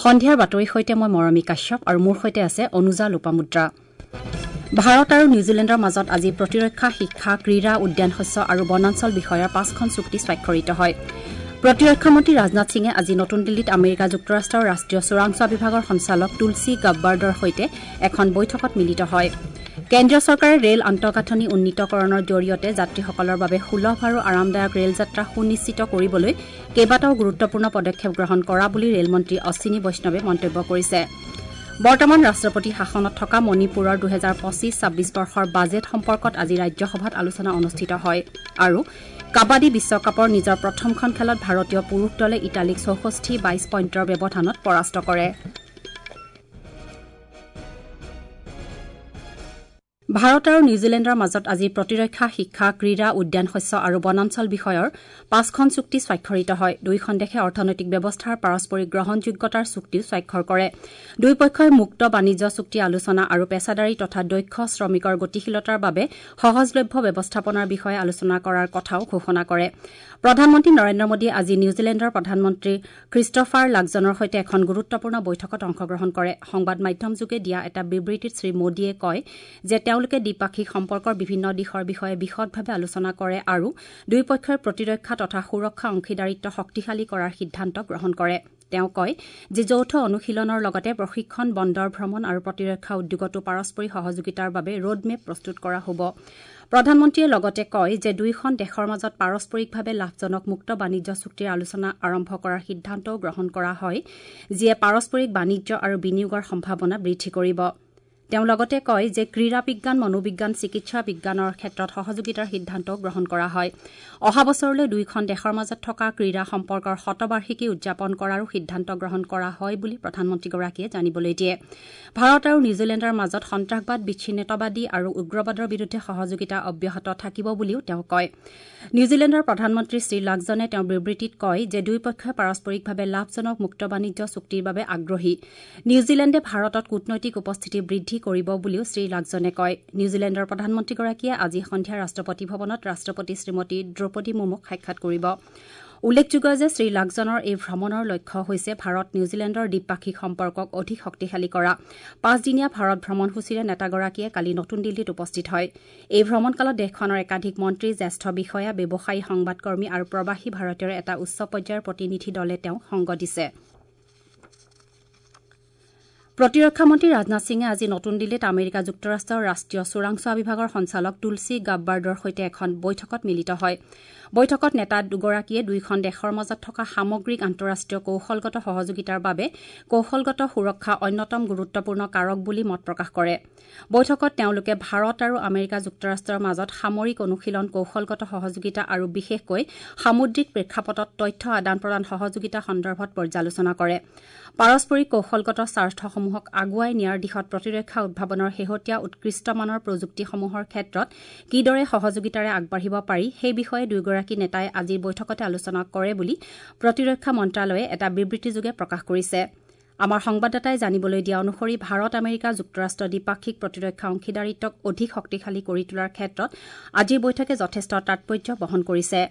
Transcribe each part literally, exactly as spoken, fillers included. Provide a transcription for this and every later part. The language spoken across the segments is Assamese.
সন্ধিয়াৰ বাতৰিৰ সৈতে মই মৰমী কাশ্যপ আৰু মোৰ সৈতে আছে অনুজা লোপামুদ্ৰা। ভাৰত আৰু নিউজিলেণ্ডৰ মাজত আজি প্ৰতিৰক্ষা, শিক্ষা, ক্ৰীড়া, উদ্যান শস্য আৰু বনাঞ্চল বিষয়ৰ পাঁচখন চুক্তি স্বাক্ষৰিত হয়। প্ৰতিৰক্ষা মন্ত্ৰী ৰাজনাথ সিঙে আজি নতুন দিল্লীত আমেৰিকা যুক্তৰাষ্ট্ৰৰ ৰাষ্ট্ৰীয় চোৰাংচোৱা বিভাগৰ সঞ্চালক তুলসী গাব্বাৰ্ডৰ সৈতে এখন বৈঠকত মিলিত হয়। কেন্দ্ৰীয় চৰকাৰে ৰেল আন্তঃগাঁথনি উন্নীতকৰণৰ জৰিয়তে যাত্ৰীসকলৰ বাবে সুলভ আৰু আৰামদায়ক ৰেল যাত্ৰা সুনিশ্চিত কৰিবলৈ কেইবাটাও গুৰুত্বপূৰ্ণ পদক্ষেপ গ্ৰহণ কৰা বুলি ৰেলমন্ত্ৰী অশ্বিনী বৈষ্ণৱে মন্তব্য কৰিছে। বৰ্তমান ৰাষ্ট্ৰপতি শাসনত থকা মণিপুৰৰ দুহেজাৰ পঁচিছ ছাব্বিছ বৰ্ষৰ বাজেট সম্পৰ্কত আজি ৰাজ্যসভাত আলোচনা অনুষ্ঠিত হয়। আৰু কাবাডী বিশ্বকাপৰ নিজৰ প্ৰথমখন খেলত ভাৰতীয় পুৰুষ দলে ইটালীক চৌষষ্ঠি বাইছ পইণ্টৰ ব্যৱধানত পৰাস্ত কৰে। ভাৰত আৰু নিউজিলেণ্ডৰ মাজত আজি প্ৰতিৰক্ষা, শিক্ষা, ক্ৰীড়া, উদ্যান শস্য আৰু বনাঞ্চল বিষয়ৰ পাঁচখন চুক্তি স্বাক্ষৰিত হয়। দুয়োখন দেশে অৰ্থনৈতিক ব্যৱস্থাৰ পাৰস্পৰিক গ্ৰহণযোগ্যতাৰ চুক্তিও স্বাক্ষৰ কৰে। দুয়োপক্ষই মুক্ত বাণিজ্য চুক্তি আলোচনা আৰু পেছাদাৰী তথা দক্ষ শ্ৰমিকৰ গতিশীলতাৰ বাবে সহজলভ্য ব্যৱস্থাপনাৰ বিষয়ে আলোচনা কৰাৰ কথাও ঘোষণা কৰে। প্ৰধানমন্ত্ৰী নৰেন্দ্ৰ মোদীয়ে আজি নিউজিলেণ্ডৰ প্ৰধানমন্ত্ৰী খ্ৰীষ্টফাৰ লাকজনৰ সৈতে এখন গুৰুত্বপূৰ্ণ বৈঠকত অংশগ্ৰহণ কৰে। সংবাদ মাধ্যমযোগে দিয়া এটা বিবৃতিত শ্ৰী মোদীয়ে কয় যে তেওঁলোকে দ্বিপাক্ষিক সম্পৰ্কৰ বিভিন্ন দিশৰ বিষয়ে বিশদভাৱে আলোচনা কৰে আৰু দুয়োপক্ষই প্ৰতিৰক্ষা তথা সুৰক্ষা অংশীদাৰিত্ব শক্তিশালী কৰাৰ সিদ্ধান্ত গ্ৰহণ কৰে। তেওঁ কয় যে যৌথ অনুশীলনৰ লগতে প্ৰশিক্ষণ, বন্দৰ ভ্ৰমণ আৰু প্ৰতিৰক্ষা উদ্যোগতো পাৰস্পৰিক সহযোগিতাৰ বাবে ৰোডমেপ প্ৰস্তুত কৰা হ'ব। প্ৰধানমন্ত্ৰীয়ে লগতে কয় যে দুয়োখন দেশৰ মাজত পাৰস্পৰিকভাৱে লাভজনক মুক্ত বাণিজ্য চুক্তিৰ আলোচনা আৰম্ভ কৰাৰ সিদ্ধান্তও গ্ৰহণ কৰা হয়, যিয়ে পাৰস্পৰিক বাণিজ্য আৰু বিনিয়োগৰ সম্ভাৱনা বৃদ্ধি কৰিব। তেওঁ লগতে কয় যে ক্ৰীড়া বিজ্ঞান, মনোবিজ্ঞান, চিকিৎসা বিজ্ঞানৰ ক্ষেত্ৰত সহযোগিতাৰ সিদ্ধান্তও গ্ৰহণ কৰা হয়। অহা বছৰলৈ দুয়োখন দেশৰ মাজত থকা ক্ৰীড়া সম্পৰ্কৰ শতবাৰ্ষিকী উদযাপন কৰাৰো সিদ্ধান্ত গ্ৰহণ কৰা হয় বুলি প্ৰধানমন্ত্ৰীগৰাকীয়ে জানিবলৈ দিয়ে। ভাৰত আৰু নিউজিলেণ্ডৰ মাজত সন্ত্ৰাসবাদ, বিচ্ছিন্নতাবাদী আৰু উগ্ৰবাদৰ বিৰুদ্ধে সহযোগিতা অব্যাহত থাকিব বুলিও তেওঁ কয়। নিউজিলেণ্ডৰ প্ৰধানমন্ত্ৰী শ্ৰী লাকজনে তেওঁৰ বিবৃতিত কয় যে দুয়োপক্ষই পাৰস্পৰিকভাৱে লাভজনক মুক্ত বাণিজ্য চুক্তিৰ বাবে আগ্ৰহী। নিউজিলেণ্ডে ভাৰতত কূটনৈতিক উপস্থিতি বৃদ্ধি কৰিব বুলিও শ্ৰী লাকজনে কয়। নিউজিলেণ্ডৰ প্ৰধানমন্ত্ৰীগৰাকীয়ে আজি সন্ধিয়া ৰাষ্ট্ৰপতি ভৱনত ৰাষ্ট্ৰপতি শ্ৰীমতী দ্ৰৌপদী মুৰ্মুক সাক্ষাৎ কৰিব। উল্লেখযোগ্য যে শ্ৰী লাকজনৰ এই ভ্ৰমণৰ লক্ষ্য হৈছে ভাৰত নিউজিলেণ্ডৰ দ্বিপাক্ষিক সম্পৰ্কক অধিক শক্তিশালী কৰা। পাঁচদিনীয়া ভাৰত ভ্ৰমণসূচীৰে নেতাগৰাকীয়ে কালি নতুন দিল্লীত উপস্থিত হয়। এই ভ্ৰমণকালত দেশখনৰ একাধিক মন্ত্ৰী, জ্যেষ্ঠ বিষয়া, ব্যৱসায়ী, সংবাদকৰ্মী আৰু প্ৰৱাসী ভাৰতীয়ৰ এটা উচ্চ পৰ্যায়ৰ প্ৰতিনিধি দলে তেওঁক সংগ দিছে। প্ৰতিৰক্ষা মন্ত্ৰী ৰাজনাথ সিঙে আজি নতুন দিল্লীত আমেৰিকা যুক্তৰাষ্ট্ৰৰ ৰাষ্ট্ৰীয় চোৰাংচোৱা বিভাগৰ সঞ্চালক তুলসী গাব্বাৰ্ডৰ সৈতে এখন বৈঠকত মিলিত হয়। বৈঠকত নেতা দুগৰাকীয়ে দুয়োখন দেশৰ মাজত থকা সামগ্ৰিক আন্তঃৰাষ্ট্ৰীয় কৌশলগত সহযোগিতাৰ বাবে কৌশলগত সুৰক্ষা অন্যতম গুৰুত্বপূৰ্ণ কাৰক বুলি মত প্ৰকাশ কৰে। বৈঠকত তেওঁলোকে ভাৰত আৰু আমেৰিকা যুক্তৰাষ্ট্ৰৰ মাজত সামৰিক অনুশীলন, কৌশলগত সহযোগিতা আৰু বিশেষকৈ সামুদ্ৰিক প্ৰেক্ষাপটত তথ্য আদান প্ৰদান সহযোগিতা সন্দৰ্ভত পৰ্যালোচনা কৰে। পাৰস্পৰিক কৌশলগত স্বাৰ্থসমূহক আগুৱাই নিয়াৰ দিশত প্ৰতিৰক্ষা উদ্ভাৱনৰ শেহতীয়া উৎকৃষ্টমানৰ প্ৰযুক্তিসমূহৰ ক্ষেত্ৰত কিদৰে সহযোগিতাৰে আগবাঢ়িব পাৰি সেই বিষয়ে দুয়োগৰাকী নেতাই আজিৰ বৈঠকতে আলোচনা কৰে বুলি প্ৰতিৰক্ষা মন্ত্ৰালয়ে এটা বিবৃতিযোগে প্ৰকাশ কৰিছে। আমাৰ সংবাদদাতাই জানিবলৈ দিয়া অনুসৰি ভাৰত আমেৰিকা যুক্তৰাষ্ট্ৰ দ্বিপাক্ষিক প্ৰতিৰক্ষা অংশীদাৰিত্বক অধিক শক্তিশালী কৰি তোলাৰ ক্ষেত্ৰত আজিৰ বৈঠকে যথেষ্ট তাৎপৰ্য বহন কৰিছে।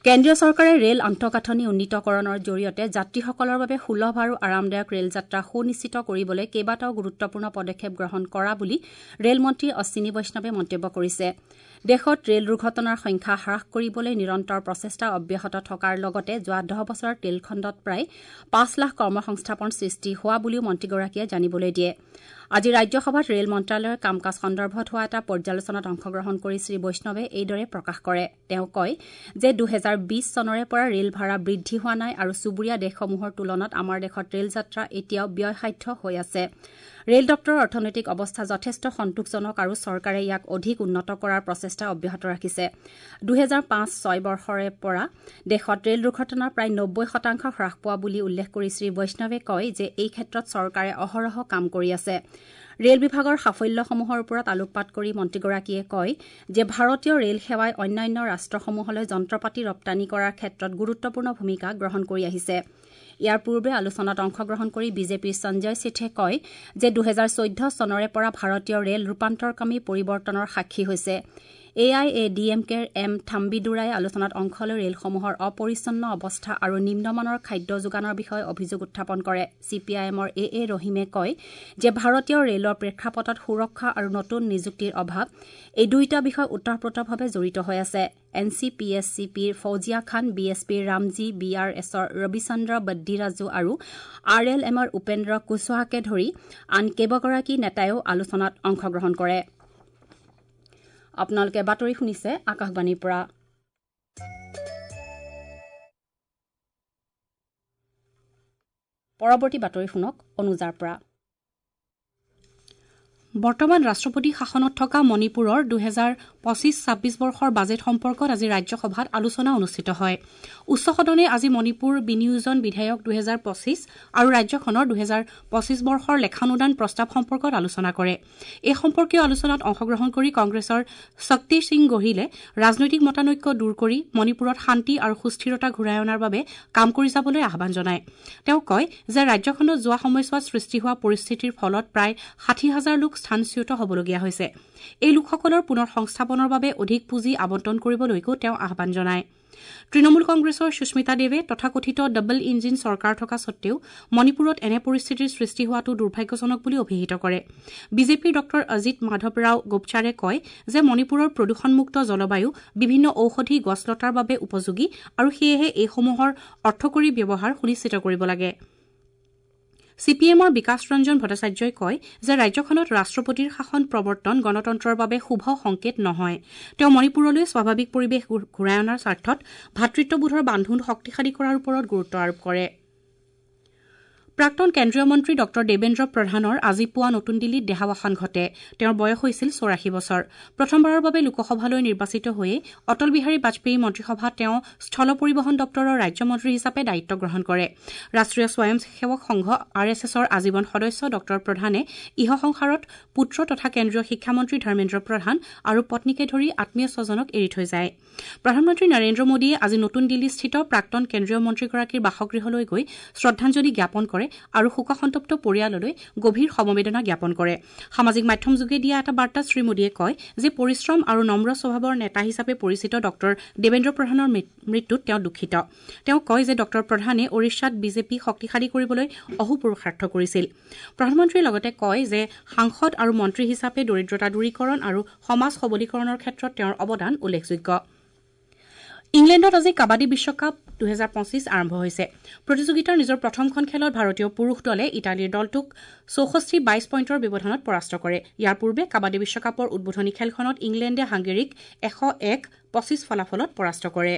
কেন্দ্ৰীয় চৰকাৰে ৰেল আন্তঃগাঁথনি উন্নীতকৰণৰ জৰিয়তে যাত্ৰীসকলৰ বাবে সুলভ আৰু আৰামদায়ক ৰেল যাত্ৰা সুনিশ্চিত কৰিবলৈ কেইবাটাও গুৰুত্বপূৰ্ণ পদক্ষেপ গ্ৰহণ কৰা বুলি ৰেলমন্ত্ৰী অশ্বিনী বৈষ্ণৱে মন্তব্য কৰিছে। দেশত ৰেল দুৰ্ঘটনাৰ সংখ্যা হ্ৰাস কৰিবলৈ নিৰন্তৰ প্ৰচেষ্টা অব্যাহত থকাৰ লগতে যোৱা দহ বছৰত ৰেলখণ্ডত প্ৰায় পাঁচ লাখ কৰ্মসংস্থাপন সৃষ্টি হোৱা বুলিও মন্ত্ৰীগৰাকীয়ে জানিবলৈ দিয়ে। আজি ৰাজ্যসভাত ৰেল মন্ত্ৰালয়ৰ কাম কাজ সন্দৰ্ভত হোৱা এটা পৰ্যালোচনাত অংশগ্ৰহণ কৰি শ্ৰী বৈষ্ণৱে এইদৰে প্ৰকাশ কৰে। তেওঁ কয় যে দুহেজাৰ বিছ চনৰে পৰা ৰেল ভাড়া বৃদ্ধি হোৱা নাই আৰু চুবুৰীয়া দেশসমূহৰ তুলনাত আমাৰ দেশত ৰেল যাত্ৰা এতিয়াও ব্যয়সাধ্য হৈ আছে। ৰেল দপ্তৰৰ অৰ্থনৈতিক অৱস্থা যথেষ্ট সন্তোষজনক আৰু চৰকাৰে ইয়াক অধিক উন্নত কৰাৰ প্ৰচেষ্টা অব্যাহত ৰাখিছে। দুহেজাৰ পাঁচ ছয় বৰ্ষৰে পৰা দেশত ৰেল দুৰ্ঘটনা প্ৰায় নব্বৈ শতাংশ হ্ৰাস পোৱা বুলি উল্লেখ কৰি শ্ৰী বৈষ্ণৱে কয় যে এই ক্ষেত্ৰত চৰকাৰে অহৰহ কাম কৰি আছে। ৰেল বিভাগৰ সাফল্যসমূহৰ ওপৰত আলোকপাত কৰি মন্ত্ৰীগৰাকীয়ে কয় যে ভাৰতীয় ৰেল সেৱাই অন্যান্য ৰাষ্ট্ৰসমূহলৈ যন্ত্ৰপাতি ৰপ্তানি কৰাৰ ক্ষেত্ৰত গুৰুত্বপূৰ্ণ ভূমিকা গ্ৰহণ কৰি আহিছে। ইয়াৰ পূৰ্বে আলোচনাত অংশগ্ৰহণ কৰি বিজেপিৰ সঞ্জয় সেঠে কয় যে দুহেজাৰ চৈধ্য চনৰে পৰা ভাৰতীয় ৰেল ৰূপান্তৰকামী পৰিৱৰ্তনৰ সাক্ষী হৈছে। A I A D M কেৰ এম থাম্বিদুৰাই আলোচনাত অংশ লৈ ৰেলসমূহৰ অপৰিচ্ছন্ন অৱস্থা আৰু নিম্নমানৰ খাদ্য যোগানৰ বিষয়ে অভিযোগ উত্থাপন কৰে। চি পি আই এমৰ এ এ ৰহিমে কয় যে ভাৰতীয় ৰেলৰ প্ৰেক্ষাপটত সুৰক্ষা আৰু নতুন নিযুক্তিৰ অভাৱ এই দুয়োটা বিষয় ওতঃপ্ৰোতভাৱে জড়িত হৈ আছে। N C P S C পিৰ ফৌজিয়া খান, বি এছ পিৰ ৰামজী, বি আৰ এছৰ ৰবিচন্দ্ৰ বদ্দিৰাজু আৰু আৰ এল এমৰ উপেন্দ্ৰ কুশৱাহাকে ধৰি আন কেইবাগৰাকী নেতাইও আলোচনাত অংশগ্ৰহণ কৰে। আপোনালোকে বাতৰি শুনিছে আকাশবাণীৰ পৰা। পৰৱৰ্তী বাতৰি শুনক অনুজাৰ পৰা। বৰ্তমান ৰাষ্ট্ৰপতি শাসনত থকা মণিপুৰৰ দুহেজাৰ পঁচিছ ছাব্বিছ বৰ্ষৰ বাজেট সম্পৰ্কত আজি ৰাজ্যসভাত আলোচনা অনুষ্ঠিত হয়। উচ্চ সদনে আজি মণিপুৰ বিনিয়োজন বিধেয়ক দুহেজাৰ পঁচিছ আৰু ৰাজ্যখনৰ দুহেজাৰ পঁচিছ বৰ্ষৰ লেখানুদান প্ৰস্তাৱ সম্পৰ্কত আলোচনা কৰে। এই সম্পৰ্কীয় আলোচনাত অংশগ্ৰহণ কৰি কংগ্ৰেছৰ শক্তি সিং গোহিলে ৰাজনৈতিক মতানৈক্য দূৰ কৰি মণিপুৰত শান্তি আৰু সুস্থিৰতা ঘূৰাই অনাৰ বাবে কাম কৰি যাবলৈ আহ্বান জনায়। তেওঁ কয় যে ৰাজ্যখনত যোৱা সময়ছোৱাত সৃষ্টি হোৱা পৰিস্থিতিৰ ফলত প্ৰায় ষাঠি হাজাৰ লোক স্থানচ্যুত হ'বলগীয়া হৈছে। এই লোকসকলৰ পুনৰ সংস্থাপনৰ বাবে অধিক পুঁজি আবণ্টন কৰিবলৈকো তেওঁ আহ্বান জনায়। তৃণমূল কংগ্ৰেছৰ সুস্মিতা দেৱে তথাকথিত ডাবল ইঞ্জিন চৰকাৰ থকা সত্বেও মণিপুৰত এনে পৰিস্থিতিৰ সৃষ্টি হোৱাটো দুৰ্ভাগ্যজনক বুলি অভিহিত কৰে। বিজেপিৰ ডঃ অজিত মাধৱৰাও গোপচাৰে কয় যে মণিপুৰৰ প্ৰদূষণমুক্ত জলবায়ু বিভিন্ন ঔষধি গছলতাৰ বাবে উপযোগী আৰু সেয়েহে এইসমূহৰ অৰ্থকৰী ব্যৱহাৰ সুনিশ্চিত কৰিব লাগে। চি পি এমৰ বিকাশ ৰঞ্জন ভট্টাচাৰ্যই কয় যে ৰাজ্যখনত ৰাষ্ট্ৰপতিৰ শাসন প্ৰৱৰ্তন গণতন্ত্ৰৰ বাবে শুভ সংকেত নহয়। তেওঁ মণিপুৰলৈ স্বাভাৱিক পৰিৱেশ ঘূৰাই অনাৰ স্বাৰ্থত ভাতৃত্ববোধৰ বান্ধোন শক্তিশালী কৰাৰ ওপৰত গুৰুত্ব আৰোপ কৰে। প্ৰাক্তন কেন্দ্ৰীয় মন্ত্ৰী ডঃ দেৱেন্দ্ৰ প্ৰধানৰ আজি পুৱা নতুন দিল্লীত দেহাৱসান ঘটে। তেওঁৰ বয়স হৈছিল চৌৰাশী বছৰ। প্ৰথমবাৰৰ বাবে লোকসভালৈ নিৰ্বাচিত হৈয়ে অটল বিহাৰী বাজপেয়ী মন্ত্ৰীসভাত তেওঁ স্থল পৰিবহণ দপ্তৰৰ ৰাজ্যমন্ত্ৰী হিচাপে দায়িত্ব গ্ৰহণ কৰে। ৰাষ্ট্ৰীয় স্বয়ংসেৱক সংঘ আৰ এছ এছৰ আজীৱন সদস্য ডঃ প্ৰধানে ইহসংসাৰত পুত্ৰ তথা কেন্দ্ৰীয় শিক্ষামন্ত্ৰী ধৰ্মেন্দ্ৰ প্ৰধান আৰু পত্নীকে ধৰি আত্মীয় স্বজনক এৰি থৈ যায়। প্ৰধানমন্ত্ৰী নৰেন্দ্ৰ মোদীয়ে আজি নতুন দিল্লীস্থিত প্ৰাক্তন কেন্দ্ৰীয় মন্ত্ৰীগৰাকীৰ বাসগৃহলৈ গৈ শ্ৰদ্ধাঞ্জলি জ্ঞাপন কৰে আৰু শোকসন্তপ্ত পৰিয়াললৈ গভীৰ সমবেদনা জ্ঞাপন কৰে। সামাজিক মাধ্যমযোগে দিয়া এটা বাৰ্তাত শ্ৰীমোদীয়ে কয় যে পৰিশ্ৰম আৰু নম্ৰ স্বভাৱৰ নেতা হিচাপে পৰিচিত ডঃ দেৱেন্দ্ৰ প্ৰধানৰ মৃত্যুত তেওঁ দুখিত। তেওঁ কয় যে ডঃ প্ৰধানে ওড়িশাত বিজেপি শক্তিশালী কৰিবলৈ অহোপুৰুষাৰ্থ কৰিছিল। প্ৰধানমন্ত্ৰীয়ে লগতে কয় যে সাংসদ আৰু মন্ত্ৰী হিচাপে দৰিদ্ৰতা দূৰীকৰণ আৰু সমাজ সবলীকৰণৰ ক্ষেত্ৰত তেওঁৰ অৱদান উল্লেখযোগ্য। ইংলেণ্ডত আজি কাবাডী বিশ্বকাপ দুহেজাৰ পঁচিছ আৰম্ভ হৈছে। প্ৰতিযোগিতাৰ নিজৰ প্ৰথমখন খেলত ভাৰতীয় পুৰুষ দলে ইটালীৰ দলটোক চৌষষ্ঠি বাইশ পইণ্টৰ ব্যৱধানত পৰাস্ত কৰে। ইয়াৰ পূৰ্বে কাবাডী বিশ্বকাপৰ উদ্বোধনী খেলখনত ইংলেণ্ডে হাংগেৰীক এশ এক পঁচিছ ফলাফলত পৰাস্ত কৰে।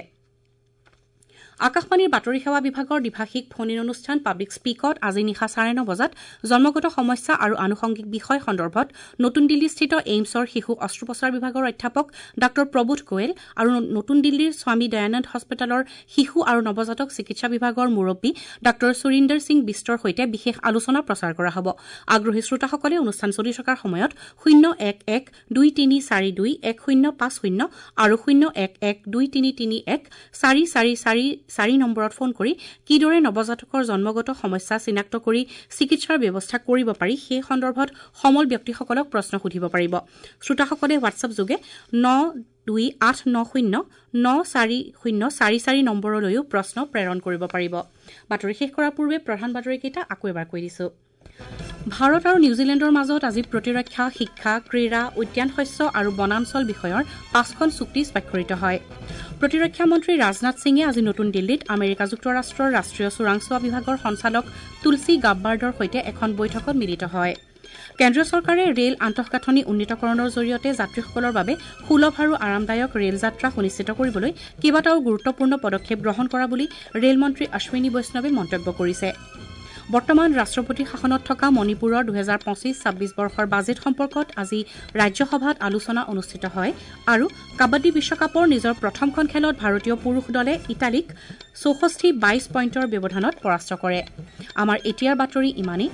আকাশবাণীৰ বাতৰি সেৱা বিভাগৰ দ্বিভাষিক ফোন ইন অনুষ্ঠান পাব্লিক স্পীকত আজি নিশা চাৰে ন বজাত জন্মগত সমস্যা আৰু আনুষংগিক বিষয় সন্দৰ্ভত নতুন দিল্লীস্থিত এইমছৰ শিশু অস্ত্ৰোপচাৰ বিভাগৰ অধ্যাপক ডাঃ প্ৰবোধ গোৱেল আৰু নতুন দিল্লীৰ স্বামী দয়ানন্দ হস্পিতালৰ শিশু আৰু নৱজাতক চিকিৎসা বিভাগৰ মুৰব্বী ডাঃ সুৰিন্দৰ সিং বিষ্টৰ সৈতে বিশেষ আলোচনা প্ৰচাৰ কৰা হ'ব। আগ্ৰহী শ্ৰোতাসকলে অনুষ্ঠান চলি থকাৰ সময়ত শূন্য এক এক দুই তিনি চাৰি দুই এক শূন্য পাঁচ শূন্য আৰু শূন্য এক এক দুই তিনি তিনি এক চাৰি চাৰি চাৰি চাৰি নম্বৰত ফোন কৰি কিদৰে নৱজাতকৰ জন্মগত সমস্যা চিনাক্ত কৰি চিকিৎসাৰ ব্যৱস্থা কৰিব পাৰি সেই সন্দৰ্ভত সমল ব্যক্তিসকলক প্ৰশ্ন সুধিব পাৰিব। শ্ৰোতাসকলে হোৱাটছএপ যোগে ন দুই আঠ ন শূন্য ন চাৰি শূন্য চাৰি চাৰি নম্বৰলৈও প্ৰশ্ন প্ৰেৰণ কৰিব পাৰিব। বাতৰি শেষ কৰাৰ পূৰ্বে প্ৰধান বাতৰিকেইটা আকৌ এবাৰ কৈ দিছো। ভাৰত আৰু নিউজিলেণ্ডৰ মাজত আজি প্ৰতিৰক্ষা, শিক্ষা, ক্ৰীড়া, উদ্যান শস্য আৰু বনাঞ্চল বিষয়ৰ পাঁচখন চুক্তি স্বাক্ষৰিত হয়। প্ৰতিৰক্ষা মন্ত্ৰী ৰাজনাথ সিঙে আজি নতুন দিল্লীত আমেৰিকা যুক্তৰাষ্ট্ৰৰ ৰাষ্ট্ৰীয় চোৰাংচোৱা বিভাগৰ সঞ্চালক তুলসী গাব্বাৰ্ডৰ সৈতে এখন বৈঠকত মিলিত হয়। কেন্দ্ৰীয় চৰকাৰে ৰেল আন্তঃগাঁথনি উন্নীতকৰণৰ জৰিয়তে যাত্ৰীসকলৰ বাবে সুলভ আৰু আৰামদায়ক ৰেল যাত্ৰা সুনিশ্চিত কৰিবলৈ কেইবাটাও গুৰুত্বপূৰ্ণ পদক্ষেপ গ্ৰহণ কৰা বুলি ৰেলমন্ত্ৰী অশ্বিনী বৈষ্ণৱে মন্তব্য কৰিছে। বৰ্তমান ৰাষ্ট্ৰপতি শাসনত থকা মণিপুৰৰ দুহেজাৰ পঁচিছ ছাব্বিছ বৰ্ষৰ বাজেট সম্পৰ্কত আজি ৰাজ্যসভাত আলোচনা অনুষ্ঠিত হয় আৰু কাবাডী বিশ্বকাপৰ নিজৰ প্ৰথমখন খেলত ভাৰতীয় পুৰুষ দলে ইটালীক চৌষষ্ঠি বাইশ পইণ্টৰ ব্যৱধানত পৰাস্ত কৰে। আমাৰ এতিয়াৰ বাতৰি ইমানেই।